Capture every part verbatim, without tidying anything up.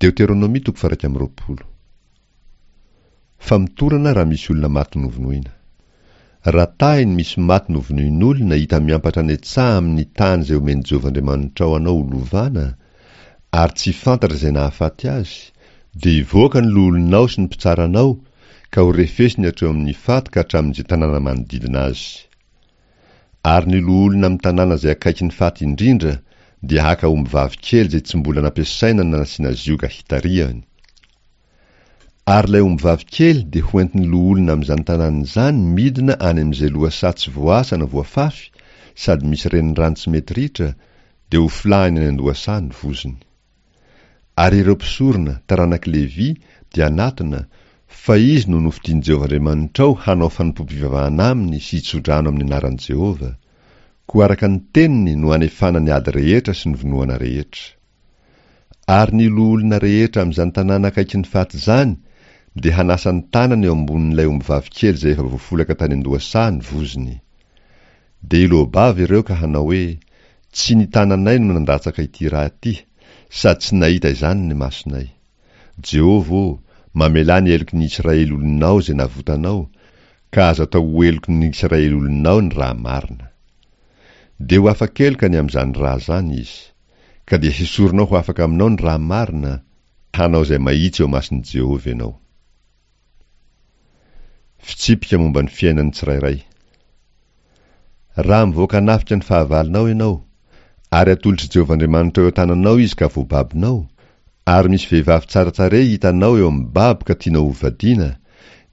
Deoteronomia toko faha iraika amby roapolo. Famotorana raha misy olona maty novonoina. Raha tahiny misy maty novonoin'olona hita miampatra any an-tsaha amin'ny tany izay omen'i Jehovah Andriamanitrao anao ho lovana, ary tsy fantatra izay nahafaty azy, dia hivoaka ny loholonao sy ny mpitsaranao, ka ho refesiny hatreo amin'ny faty ka hatramin'izay tanàna manodidina azy. Ary ny loholona amin'ny tanàna izay akaiky ny faty indrindra dia haka ombivavy kely izay tsy mbola nampiasaina na nasiana zioga hitarihany. Ary ilay ombivavy kely dia hoentin'ny loholona amin'izany tanàna izany midina any amin'izay lohasaha tsy voasa na voafafy sady misy renirano tsy mety ritra, dia hofolahiny any an-dohasaha ny vozony. Ary ireo mpisorona, taranak'i Levy, dia hanatona, fa izy no nofidin'i Jehovah Andriamanitrao hanao fanompoam-pivavahana aminy sy hitsodrano amin'ny anaran'i Jehovah. Koa araka ny teniny no anefana ny ady rehetra sy ny vonoana rehetra. Ary ny loholona rehetra amin'izany tanàna akaiky ny faty izany dia hanasa ny tanany eo ambonin'ilay ombivavy kely izay efa voafolaka tany an-dohasaha ny vozony. Dia hiloa-bava ireo ka hanao hoe, Tsy ny tananay no nandatsaka ity ra ity, sady tsy nahita izany ny masonay. Jehovah ô, mamelà ny heloky ny Israely olonao izay navotanao, ka aza atao ho heloky ny Israely olonao ny ra marina. Dia ho afa-keloka ny amin'izany ra izany izy. Ka dia hesorinao ho afaka aminao ny ra marina, hanao izay mahitsy eo imason'i Jehovah ianao. Fitsipika momba ny fiainan'ny tsirairay. Raha mivoaka hanafika ny fahavalonao ianao, ary atolotr'i Jehovah Andriamanitrao eo an-tananao izy ka voababonao, ary misy vehivavy tsara tarehy hitanao eo amin'ny babo ka tianao hovadiana,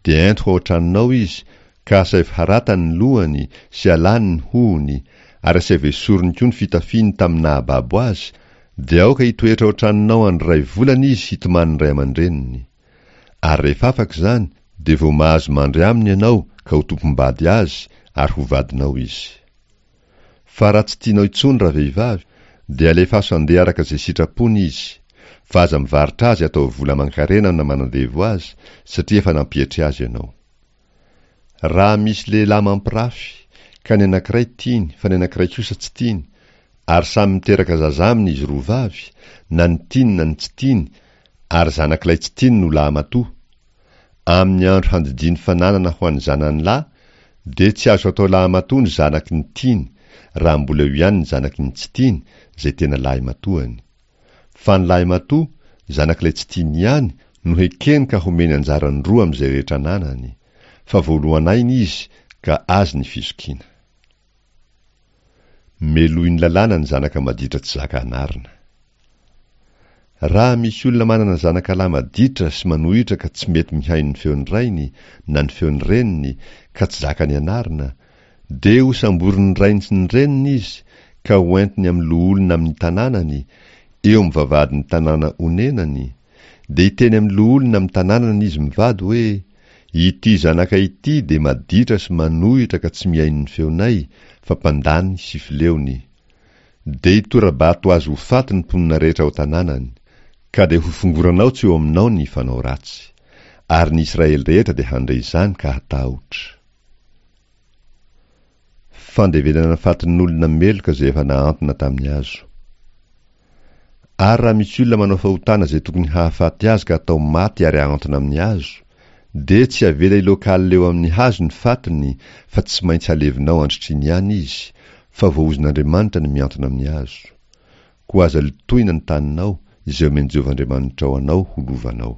dia ento ho ao an-tranonao izy, ka asaivo haratany ny lohany sy alany ny hohony, ary asaivo esoriny koa ny fitafiany tamin'ny nahababo azy, dia aoka hitoetra ao an-tranonao andro iray volana izy hitomany ny ray aman-dreniny. Ary rehefa afaka izany, dia vao mahazo mandry aminy ianao ka ho tompom-bady azy, ary ho vadinao izy. Fa raha tsy tianao intsony ravehivavy, dia alefaso handeha araka izay sitrapony izy, fa aza mivarotra azy atao vola aman-karena na manandevo azy, satria efa nampietry azy ianao. Raha misy lehilahy mampirafy, ka ny anankiray tiany, fa ny anankiray kosa tsy tiany, ary samy miteraka zaza aminy izy roa vavy, na ny tiany na ny tsy tiany, ary zanak'ilay tsy tiany no lahimatoa, amin'ny andro handidiany fananana ho an'ny zanany lahy, dia tsy azo atao lahimatoa ny zanaky ny tiany, raha mbola eo ihany ny zanaky ny tsy tiany, izay tena lahimatoany. Fa ny lahimatoa, zanak'ilay tsy tiany ihany, no hekeny ka homeny anjarany roa amin'izay rehetra ananany, fa voalohan'aina izy ka azy ny fizokiana. Melohin'ny lalàna ny zanaka maditra tsy zaka anarina. Raha misy olona manana zanaka lahy maditra sy manohitra ka tsy mety mihaino ny feon'ny rainy na ny feon'ny reniny ka tsy zakany anarina, dia hosamborin'ny rainy sy ny reniny izy ka hoentiny amin'ny loholona amin'ny tanànany, eo amin'ny vavahadin'ny tanàna onenany, dia hiteny amin'ny loholona amin'ny tanànany izy mivady hoe, Ity zanaka ity dia maditra sy manohitra ka tsy mihaino ny feonay, fa mpandany sy fileony. Dia hitora-bato azy ho faty ny mponina rehetra ao an-tanànany, ka dia hofongoranao tsy eo aminao ny fanao ratsy. Ary ny Israely rehetra dia handre izany ka hatahotra. Fandevenana fatin'olona meloka izay efa nahantona tamin'ny hazo. Ary raha misy olona manao fahotana izay tokony hahafaty azy ka atao maty ary ahantona amin'ny hazo, dia tsy avela hiloakalina eo amin'ny hazo ny fatiny fa tsy maintsy halevinao androtr'iny ihany izy, fa voaozon'Andriamanitra ny mihantona amin'ny hazo. Koa aza lotoina ny taninao, izay omen'i Jehovah Andriamanitrao anao ho lovanao.